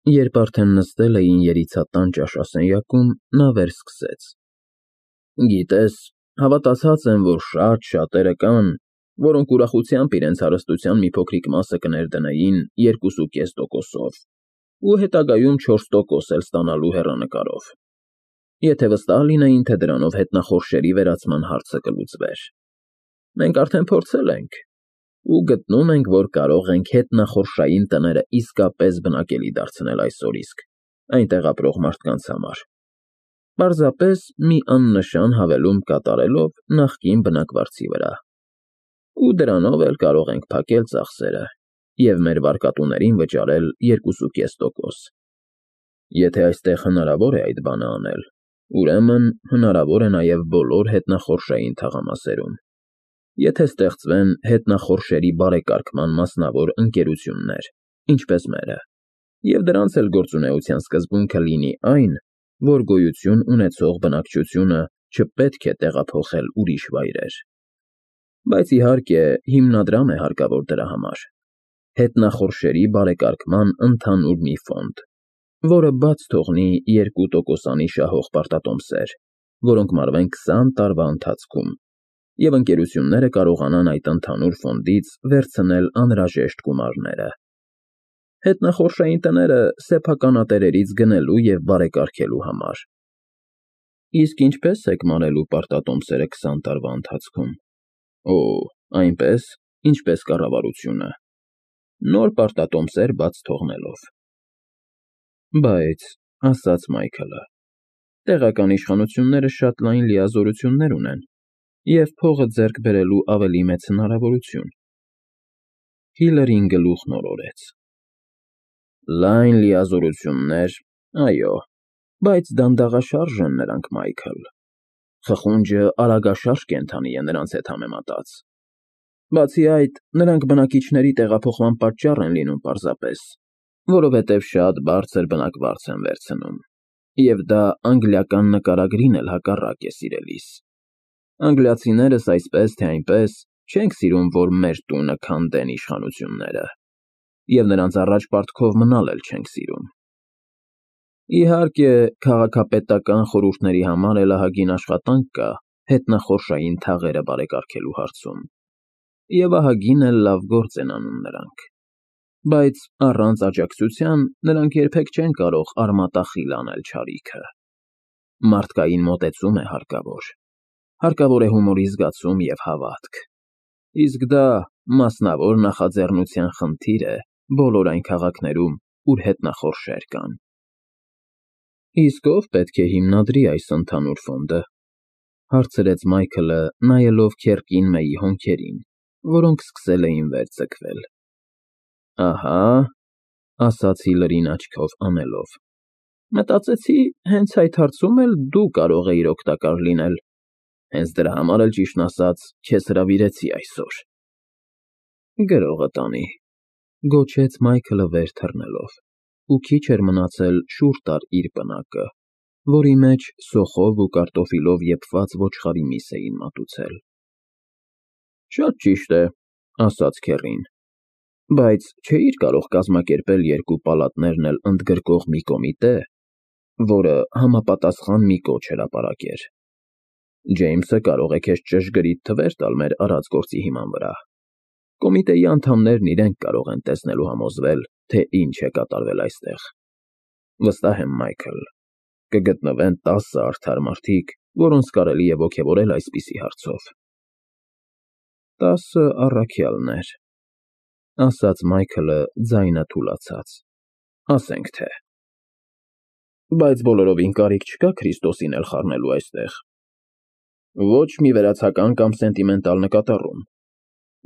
Երբ արդեն նստել էին երիցատան ճաշասենյակում, նա վերսկսեց. Գիտես, հավատացած եմ, որ շատերը կան, որոնք ուրախությամբ իրենց հարստության մի փոքրիկ մասը կներդնեին 2.5%-ով ու հետագայում 4% էլ ստանալու հեռանկարով, եթե վստահ լինեին, թե դրանով հետնախորշերի վերացման հարցը կլուծվեր։ Մենք արդեն փորձել ենք ու գտնում ենք, որ կարող ենք հետնախորշային տները իսկապես բնակելի դարձնել այսօր իսկ այնտեղ ապրող մարդկանց համար, պարզապես մի աննշան հավելում կատարելով նախկին բնակվարձի վրա, ու դրանով էլ կարող ենք փակել ծախսերը և մեր վարկատուներին վճարել 2.5%։ Եթե այստեղ հնարավոր է այդ բանը անել, ուրեմն հնարավոր է նաև բոլոր հետնախորշային թաղամասերում, եթե ստեղծվեն հետնախորշերի բարեկարգման մասնավոր ընկերություններ, ինչպես մերը, և դրանց էլ գործունեության սկզբունքը լինի այն, որ գոյություն ունեցող բնակչությունը չպետք է տեղափոխել ուրիշ վայրեր։ Բայց իհարկե հիմնադրամ է հարկավոր դրա համար, հետնախորշերի բարեկարգման ընդհանուր մի ֆոնդ, որը բաց թողնի 2%-անի շահող պարտատոմսեր, որոնք մարվեն 20 տարվա ընթացքում, և ընկերությունները կարողանան այդ ընդհանուր ֆոնդից վերցնել անհրաժեշտ գումարները։ Հետնախորշային տները սեփականատերերից գնելու և բարեկարգելու համար։ Իսկ ինչպե՞ս եք մարելու պարտատոմսերը 20 տարվա ընթացքում։ Օ, այնպես, ինչպես կառավարությունը, նոր պարտատոմսեր բաց թողնելով։ Բայց, ասաց Մայքլը, տեղական իշխանությունները շատ լայն լիազորություններ ունեն և փողը ձեռք բերելու ավելի մեծ հնարավորություն։ Հիլարին գլուխն օրորեց. Լայն լիազորություններ, այո, բայց դանդաղաշարժ են նրանք, Մայքլ։ Խխունջը արագաշարժ կենդանի է նրանց հետ համեմատած։ Բացի այդ, նրանք բնակիչների տեղափոխման պատճառ են լինում պարզապես, որովհետև շատ բարձր բնակվարձ են վերցնում, և դա անգլիական նկարագրին էլ հակառակ է սիրելիս։ Անգլիացիներս այսպես թե այնպես չենք սիրում, որ մեր տունը քանդեն իշխանությունները, և նրանց առաջ պարտքով մնալ էլ չենք սիրում։ Իհարկե, քաղաքապետական խորհուրդների համար էլ ահագին աշխատանք կա հետնախորշային թաղերը բարեկարգելու հարցում, և ահագին էլ լավ գործ են անում նրանք, բայց առանց աջակցության նրանք երբեք չեն կարող արմատախիլ անել չարիքը։ Մարդկային մոտեցում է հարկավոր, հարկավոր է հումորի զգացում և հավատք, իսկ դա մասնավոր նախաձեռնության խնդիր է բոլոր այն քաղաքներում, ուր հետնախորշեր կան։ Իսկ ո՞վ պետք է հիմնադրի այս ընդհանուր ֆոնդը, հարցրեց Մայքլը, նայելով քեռքին Մեյի հոնքերին, որոնք սկսել էին վեր ձգվել։ Ահա, ասաց Հիլարին աչքով անելով, մտածեցի, հենց այդ հարցում էլ դու կարող էիր օգտակար լինել, հենց դրա համար էլ ճիշտն ասած քեզ հրավիրեցի այսօր։ Գրողը տանի, գոչեց Մայքլը վեր թռնելով, ու քիչ էր մնացել շուռ տար իր պնակը, որի մեջ սոխով ու կարտոֆիլով եփված ոչխարի միս էին մատուցել։ Շատ ճիշտ է, ասաց քեռին, բայց չէի՞ր կարող կազմակերպել երկու պալատներն էլ ընդգրկող մի կոմիտե, որը համապատասխան մի կոչ հրապարակեր։ Ջեյմսը կարող է քեզ ճշգրիտ թվեր տալ մեր արած գործի հիման վրա։ Կոմիտեի անդամներն իրենք կարող են տեսնել ու համոզվել, թե ինչ է կատարվել այստեղ։ Վստահ եմ, Մայքլ, կգտնվեն 10 արդար մարդիկ, որոնց կարելի է ոգևորել այսպիսի հարցով։ 10 առաքյալներ, ասաց Մայքլը ձայնը թուլացած, ասենք թե։ Բայց բոլորովին կարիք չկա Քրիստոսին էլ խառնելու այստեղ։ Ոչ մի վերացական կամ սենտիմենտալ նկատառում։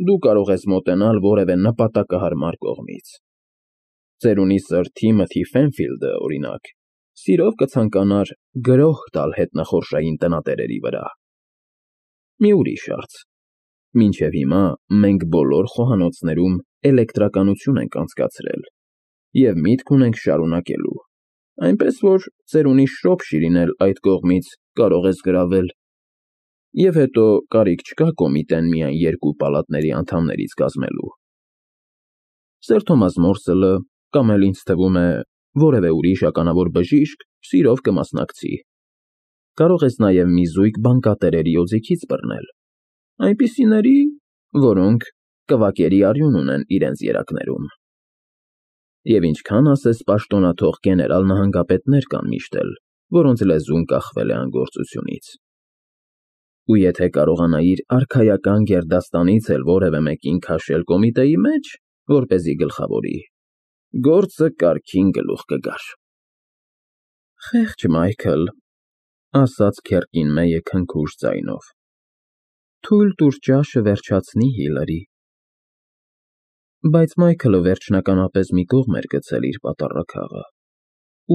Դու կարող ես մոտենալ որևէ նպատակահարմար կողմից։ Ծերունի սըր Թիմոթի Ֆենֆիլդը, օրինակ, սիրով կցանկանար գրոհ տալ հետնախորշային տնատերերի վրա։ Մի ուրիշ հարց. մինչև հիմա մենք բոլոր խոհանոցներում էլեկտրականություն ենք անցկացրել և միտք ունենք շարունակելու, այնպես որ ծերունի Շրոփշիրին էլ այդ կողմից կարող ես գրավել։ Եվ հետո կարիք չկա կոմիտեն միայն երկու պալատների անդամներից կազմելու։ Սեր Թոմաս Մորսելը, կամ էլ ինձ թվում է, որևէ ուրիշ ականավոր բժիշկ սիրով կմասնակցի։ Կարող ես նաև մի զույգ բանկատերերի օձիքից բռնել, այնպիսիների, որոնք կվակերի արյուն ունեն իրենց երակներում։ Եվ ինչքան ասես պաշտոնաթող գեներալ նահանգապետներ կան միշտել, որոնց լեզուն կախվել է անգործությունից։ Ու եթե կարողանայիր արքայական գերդաստանից էլ որևէ մեկին քաշել կոմիտեի մեջ, որպեսզի գլխավորի, գործը կարգին գլուխ կգար։ Խեղճ Մայքլ, ասաց Քերկինմեյը քնքուշ ձայնով, թույլ տուր ճաշը վերջացնի Հիլարի։ Բայց Մայքլը վերջնականապես մի կողմ էր գցել իր պատառաքաղը,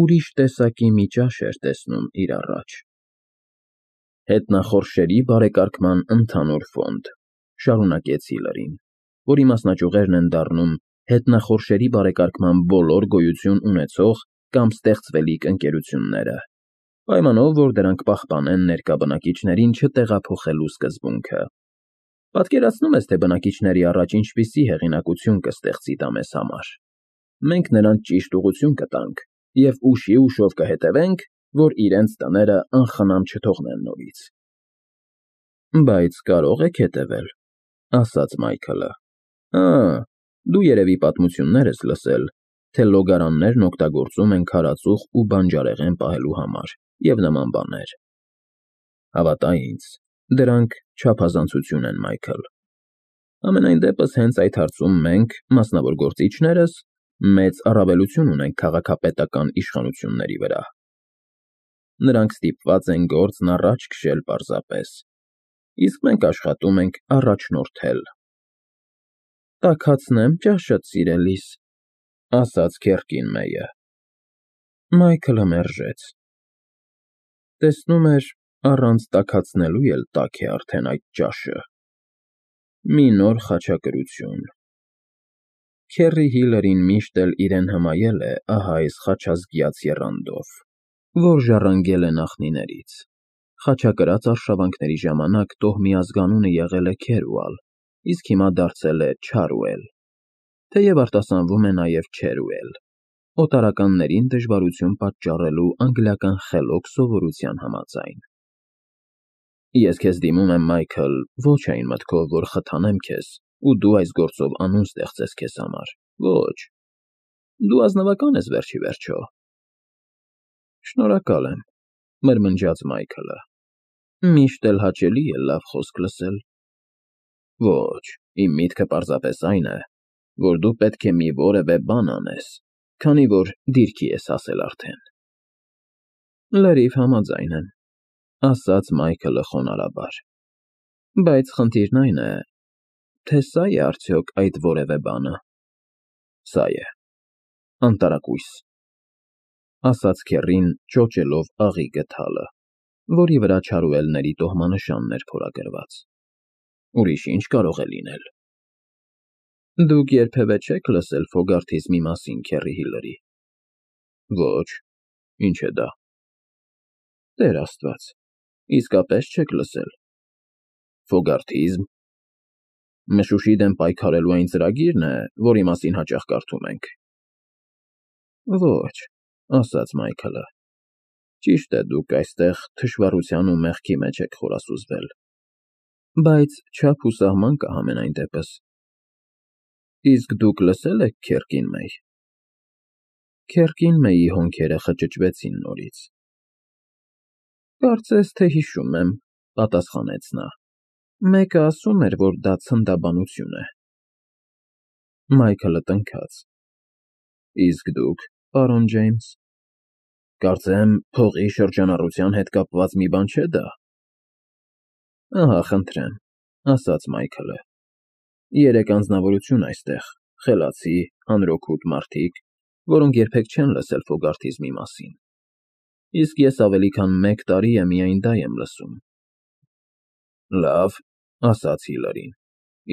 ուրիշ տեսակի մի ճաշ էր տեսնում իր առաջ։ Հետնախորշերի բարեկարգման ընդհանուր ֆոնդ, շարունակեց Հիլարին, որի մասնաճյուղերն են դառնում հետնախորշերի բարեկարգման բոլոր գոյություն ունեցող կամ ստեղծվելիք ընկերությունները, պայմանով, որ դրանք պահպանեն ներկա բնակիչներին չտեղափոխելու սկզբունքը։ Պատկերացնում ես, թե բնակիչների առաջ ինչպիսի հեղինակություն կստեղծի դա մեզ համար։ Մենք նրանց ճիշտ ուղղություն կտանք և ուշիուշով կհետևենք, որ իրենց տները անխնամ չթողնեն նորից։ Բայց կարող եք հետևել, ասաց Մայքլը։ Դու երևի պատմություններ ես լսել, թե լոգարաններն օգտագործում են քարածուխ ու բանջարեղեն պահելու համար և նման բաներ։ Հավատա ինձ, դրանք չափազանցություն են, Մայքլ։ Համենայն դեպս հենց այդ հարցում մենք, մասնավոր գործիչներս, մեծ առավելություն ունենք քաղաքապետական իշխանությունների վրա։ Նրանք ստիպված են գործն առաջ քշել պարզապես, իսկ մենք աշխատում ենք առաջնորդել։ Տաքացնեմ ճաշդ, սիրելիս, ասաց Քերկինմեյը։ Մայքլը մերժեց։ Տեսնում էր, առանց տաքացնելու էլ տաք է արդեն այդ ճաշը։ Մի նոր խաչակրություն։ Քերի Հիլարին միշտ էլ իրեն հմայել է ահա այս խաչազգյաց եռանդով, որ ժառանգել է նախնիներից։ Խաչակրած արշավանքների ժամանակ տոհմի ազգանունը եղել է Քերուալ, իսկ հիմա դարձել է Չարուել, թեև արտասանվում է նաև Չերուել, օտարականներին դժվարություն պատճառելու անգլիական խելոք սովորության համաձայն։ Ես քեզ դիմում եմ, Մայքլ, ոչ այն մտքով, որ խթանեմ քեզ, ու դու այս գործով անուն ստեղծես քեզ համար, ոչ, դու ազնվական ես վերջ ի վերջո։ Շնորհակալ եմ, մրմնջաց Մայքլը, միշտ էլ հաճելի է լավ խոսք լսել։ Ոչ, իմ միտքը պարզապես այն է, որ դու պետք է մի որևէ բան անես, քանի որ դիրքի ես հասել արդեն։ Լրիվ համաձայն եմ, ասաց Մայքլը խոնարհաբար, բայց խնդիրն այն է, թե սա է արդյոք այդ որևէ բանը։ Սա է, անտարակույս, ասաց Քերին, ճոճելով աղի գդալը, որի վրա չարուելների տոհմանշանն էր փորագրված։ Ուրիշ ինչ կարող է լինել։ Դուք երբևէ չեք լսել Ֆոգարթիզմի մասին, Քերի Հիլարի։ Ոչ, ինչ է դա։ Տեր Աստված, իսկապես չեք լսել։ Ֆոգարթիզմ։ Մշուշի դեմ պայքարելու այն ծրագիրն է, որի մասին հաճախ կարդում ենք։ Ոչ, ասաց Մայքլը։ Ճիշտ է, դուք այստեղ թշվառության ու մեղքի մեջ եք խորասուզվել, բայց չափ ու սահման կա համենայն դեպս։ Իսկ դուք լսել եք Քերկինմեյ։ Քերկինմեյի հոնքերը խճճվեցին նորից։ Կարծես թե հիշում եմ, պատասխանեց նա։ Մեկը ասում էր, որ դա ցնդաբանություն է։ Մայքլը տնքաց։ Իսկ դուք, պարոն Ջեյմս։ Կարծեմ, փողի շրջանառության հետ կապված մի բան չէ դա։ Ահա, խնդրեմ, ասաց Մայքլը։ Երեք անձնավորություն այստեղ, խելացի, անրոքութ մարդիկ, որոնք երբեք չեն լսել Ֆոգարթիզմի մասին։ Իսկ ես ավելի քան 1 տարի է միայն դա եմ լսում։ Լավ, ասաց Հիլարին,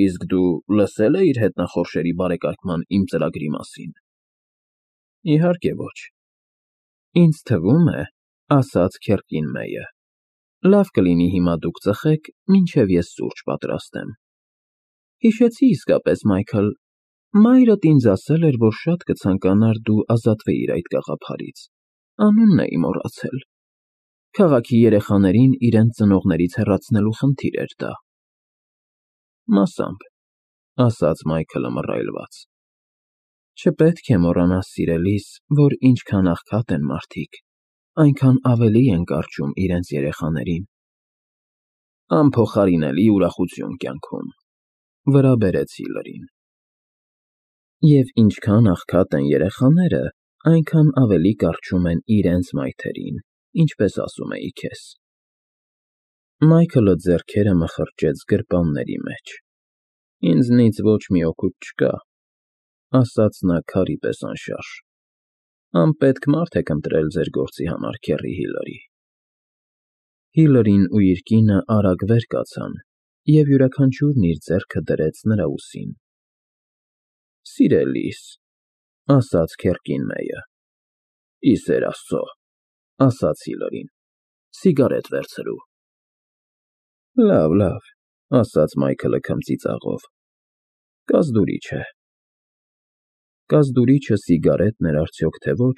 իսկ դու լսել էիր հետնախորշերի բարեկարգման իմ ծրագրի մասին։ Իհարկե ոչ։ Ինձ թվում է, ասաց Քերկինմեյը, լավ կլինի հիմա դուք ծխեք, մինչև ես սուրճ պատրաստեմ։ Հիշեցի իսկապես, Մայքլ, Մայրդ ինձ ասել էր, որ շատ կցանկանար դու ազատվեիր այդ գաղափարից, անունն էի մոռացել, քաղաքի երեխաներին իրենց ծնողներից հեռացնելու խնդիր էր դա։ Մասամբ, ասաց Մայքլը մռայլված։ Չպետք է մոռանաս, սիրելիս, որ ինչքան աղքատ են մարդիկ, այնքան ավելի են կարճում իրենց երեխաներին։ Անփոխարինելի ուրախություն կյանքում, վրա բերեց Հիլարին։ Եվ ինչքան աղքատ են երեխաները, այնքան ավելի կարճում են իրենց մայթերին, ինչպես ասում էի քեզ։ Մայքլը ձեռքերը մխրճեց գրպանների մեջ։ Ինձնից ոչ մի օգուտ չկա, ասաց նա քարի պես անշարժ։ Անպետք մարդ եք ընտրել ձեր գործի համար, քեռի Հիլարի։ Հիլարին ու իր կինը արագ վեր կացան, և յուրաքանչյուրն իր ձեռքը դրեց նրա ուսին։ Սիրելիս, ասաց քեռքին Մեյը։ Ի սեր Աստծո, ասաց Հիլարին, սիգարետ վերցրու։ Լավ, ասաց Մայքլը քմծիծաղով։ Կազդուրիչ է։ Կազդուրիչը սիգարետն էր արդյոք թե ոչ,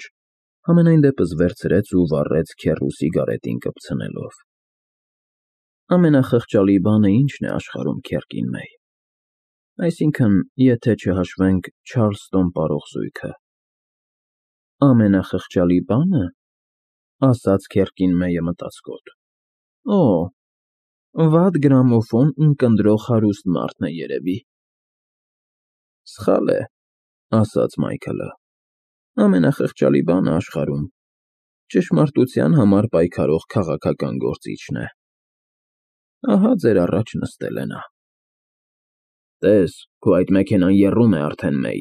համենայն դեպս վերցրեց ու վառեց քեռու սիգարետին կպցնելով։ Ամենախղճալի բանը ի՞նչն է աշխարհում, քեռքին Մեյ։ Այսինքն, եթե չհաշվենք Չարլստոն պարող զույգը։ Ամենախղճալի բանը, ասաց քեռքին Մեյը մտածկոտ։ Օ, վատ գրամոֆոն ունկնդրող հարուստ մարդն է երևի։ Սխալ է, ասաց Մայքլը։ Ամենախղճալի բանը աշխարհում ճշմարտության համար պայքարող քաղաքական գործիչն է։ Ահա ձեր առաջ նստել է նա։ Տես, քո այդ մեքենան եռում է արդեն, Մեյ։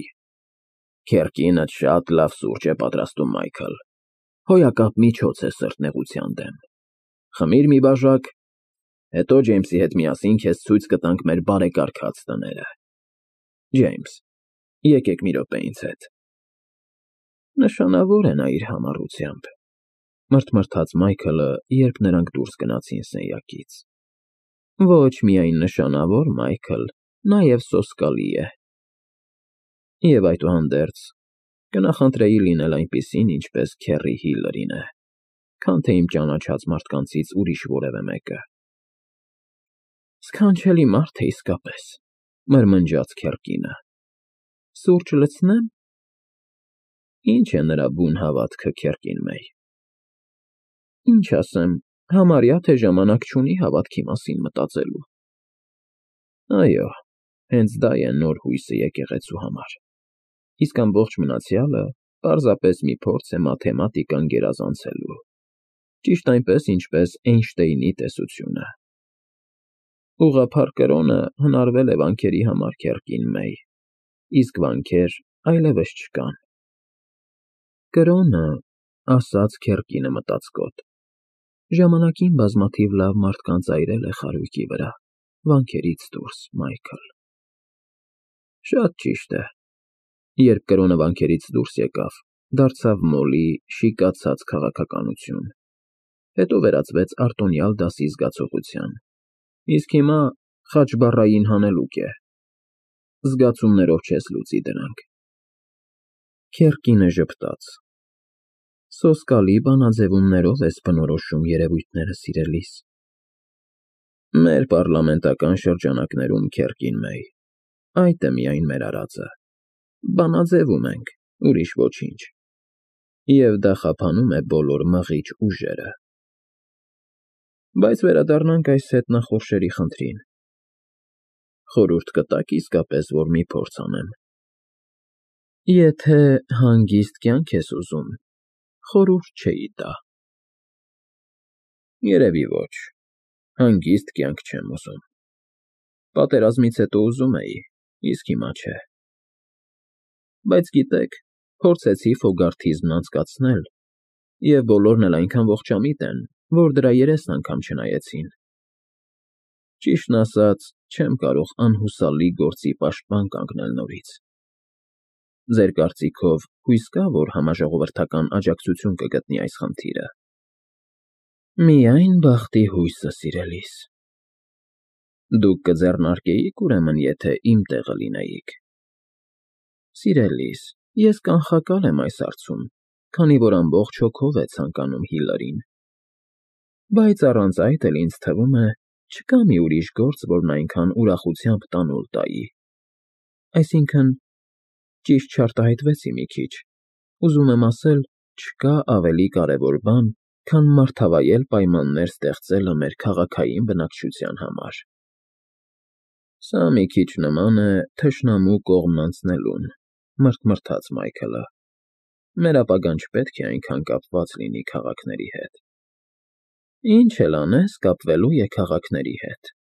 Քեռքինդ շատ լավ սուրճ է պատրաստում, Մայքլ։ Հոյակապ միջոց է սրտնեղության դեմ։ Խմիր մի բաժակ, հետո Ջեյմսի հետ միասին քեզ ցույց կտանք մեր բարեկարգած տները։ Ջեյմս, եկեք մի րոպե ինձ հետ։ Նշանավոր է նա իր համառությամբ, մրթմրթաց Մայքլը, երբ նրանք դուրս գնացին սենյակից։ Ոչ միայն նշանավոր, Մայքլ, նաև սոսկալի է։ Եվ այդուհանդերձ, կնախընտրեի լինել այնպիսին, ինչպես քեռի Հիլարին է, քան թե իմ ճանաչած մարդկանցից ուրիշ որևէ մեկը։ Սքանչելի մարդ է իսկապես, մրմնջաց քեռքինը։ Սուրճ լցնե՞մ։ Ինչ է նրա բուն հավատքը, քեռքին Մեյ։ Ինչ ասեմ, համարյա թե ժամանակ չունի հավատքի մասին մտածելու։ Այո, հենց դա է նոր հույսը եկեղեցու համար։ Իսկ ամբողջ մնացյալը պարզապես մի փորձ է մաթեմատիկան գերազանցելու։ Ճիշտ այնպես, ինչպես Էյնշտեյնի տեսությունը։ Ուղղափառ կրոնը հնարվել է վանքերի համար, քեռքին Մեյ, իսկ վանքեր այլևս չկան։ Կրոնը, ասաց քեռքինը մտածկոտ, ժամանակին բազմաթիվ լավ մարդկանց այրել է խարույկի վրա, վանքերից դուրս, Մայքլ։ Շատ ճիշտ է։ Երբ կրոնը վանքերից դուրս եկավ, դարձավ մոլի, շիկացած քաղաքականություն, հետո վերածվեց արտոնյալ դասի զգացողության, իսկ հիմա խաչբառային հանելուկ է։ Զգացումներով չես լուծի դրանք։ Քեռքինը ժպտաց։ Սոսկալի բանաձևումներով ես բնորոշում երևույթները, սիրելիս։ Մեր պառլամենտական շրջանակներում, քեռքին Մեյ, այդ է միայն մեր արածը։ Բանաձևում ենք, ուրիշ ոչինչ։ Եվ դա խափանում է բոլոր մղիչ ուժերը։ Բայց վերադառնանք այս հետնախորշերի խնդրին։ Խորհուրդ կտա՞ք իսկապես, որ մի փորձ անեմ։ Եթե հանգիստ կյանք ես ուզում, խորհուրդ չէի տա։ Երևի ոչ, հանգիստ կյանք չեմ ուզում։ Պատերազմից հետո ուզում էի, իսկ հիմա չէ։ Բայց գիտեք, փորձեցի Ֆոգարթիզմն անցկացնել, և բոլորն էլ այնքան ողջամիտ են, որ դրա երեսն անգամ չնայեցին։ Ճիշտն ասած, չեմ կարող անհուսալի գործի պաշտպան կանգնել նորից։ Ձեր կարծիքով հույս կա, որ համաժողովրդական աջակցություն կգտնի այս խնդիրը։ Միայն բախտի հույսը, սիրելիս։ Դուք կձեռնարկեիք, ուրեմն, եթե իմ տեղը լինեիք։ Սիրելիս, ես կանխակալ եմ այս հարցում, քանի որ ամբողջ հոգով է ցանկանում Հիլարին։ Բայց առանց այդ էլ ինձ թվում է, չկա մի ուրիշ գործ, որն այնքան ուրախությամբ տանուլ տայի։ Այսինքն, ճիշտ չարտահայտվեցի մի քիչ, ուզում եմ ասել, չկա ավելի կարևոր բան, քան մարդավայել պայմաններ ստեղծելը մեր քաղաքային բնակչության համար։ Սա մի քիչ նման է թշնամու կողմն անցնելուն, մրթմրթաց Մայքլը։ Մեր ապագան չպետք է այնքան կապված լինի քաղաքների հետ։ Ինչ էլ անես կապվելու է քաղաքների հետ։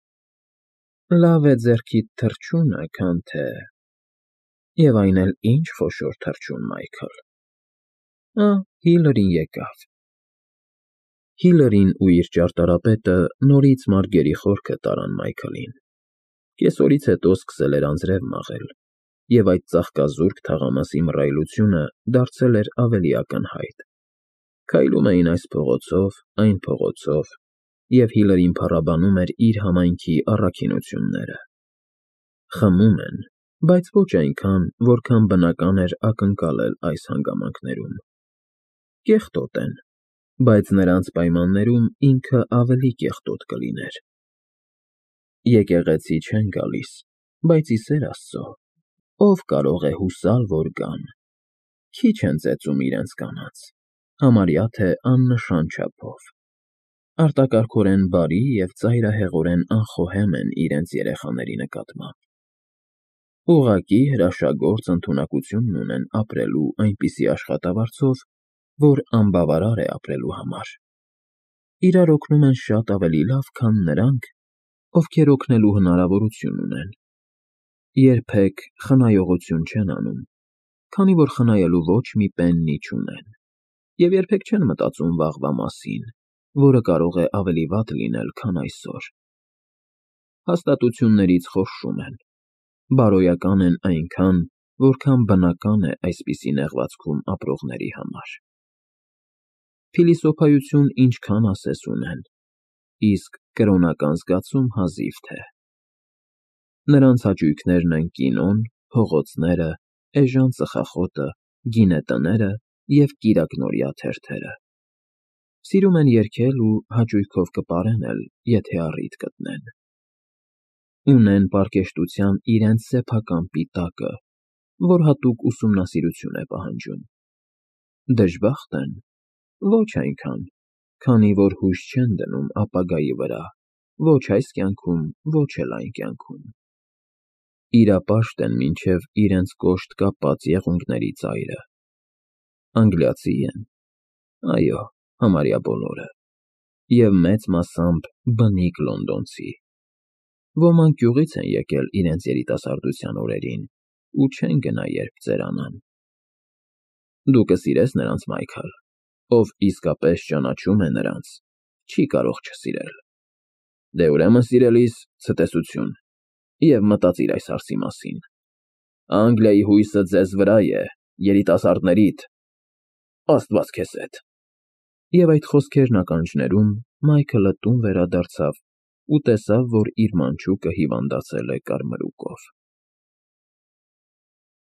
Լավ է ձեռքիդ թռչունը, քան թե… Եվ այն էլ ինչ խոշոր թռչուն, Մայքլ… Հիլարին եկավ։ Հիլարին ու իր ճարտարապետը նորից մարգերի խորքը տարան Մայքլին։ Կեսօրից հետո սկսել էր անձրև մաղել, և այդ ծաղկազուրկ թաղամասի մռայլությունը դարձել էր ավելի ակնհայտ։ Քայլում էին այս փողոցով, այն փողոցով, և Հիլարին փառաբանում էր իր համայնքի առաքինությունները։ Խմում են, բայց ոչ այնքան, որքան բնական էր ակնկալել այս հանգամանքներում։ Կեղտոտ են, բայց նրանց պայմաններում ինքը ավելի կեղտոտ կլիներ։ Եկեղեցի չեն գալիս, բայց ի սեր Աստծո, ով կարող է հուսալ, որ գան։ Քիչ են ծեծում իրենց կանանց, համարյա թե աննշան չափով։ Արտակարգորեն բարի և ծայրահեղորեն անխոհեմ են իրենց երեխաների նկատմամբ։ Ուղղակի հրաշագործ ընդունակությունն ունեն ապրելու այնպիսի աշխատավարձով, որ անբավարար է ապրելու համար։ Իրար օգնում են շատ ավելի լավ, քան նրանք, ովքեր օգնելու հնարավորություն ունեն։ Երբեք խնայողություն չեն անում, քանի որ խնայելու ոչ մի պեննի չունեն, և երբեք չեն մտածում վաղվա մասին, որը կարող է ավելի վատ լինել, քան այսօր։ Հաստատություններից խորշում են, բարոյական են այնքան, որքան բնական է այսպիսի նեղվածքում ապրողների համար։ Փիլիսոփայություն ինչքան ասես ունեն, իսկ կրոնական զգացում հազիվ թե։ Նրանց հաճույքներն են կինոն, փողոցները, էժան ծխախոտը, գինետները և կիրակնօրյա թերթերը։ Սիրում են երգել ու հաճույքով կպարեն էլ, եթե առիթ գտնեն։ Ունեն պարկեշտության իրենց սեփական պիտակը, որ հատուկ ուսումնասիրություն է պահանջում։ Դժբախտ են։ Ոչ այնքան, քանի որ հույս չեն դնում ապագայի վրա, ոչ այս կյանքում, ոչ էլ այն կյանքում։ Իրապաշտ են մինչև իրենց կոշտ կապած եղունգների ծայրը։ Անգլիացի են։ Այո, համարյա բոլորը։ Եվ մեծ մասամբ բնիկ լոնդոնցի։ Ոմանք գյուղից են եկել իրենց երիտասարդության օրերին ու չեն գնա երբ ծերանան։ Դու կսիրես նրանց, Մայքլ, ով իսկապես ճանաչում է նրանց, չի կարող չսիրել։ Դե ուրեմն, սիրելիս, ցտեսություն, և մտածիր այս հարցի մասին։ Անգլիայի հույսը ձեզ վրա է, երիտասարդներիդ, Աստված քեզ հետ։ Եվ այդ խոսքերն ականջներում Մայքլը տուն վերադարձավ ու տեսավ, որ իր մանչուկը հիվանդացել է կարմրուկով։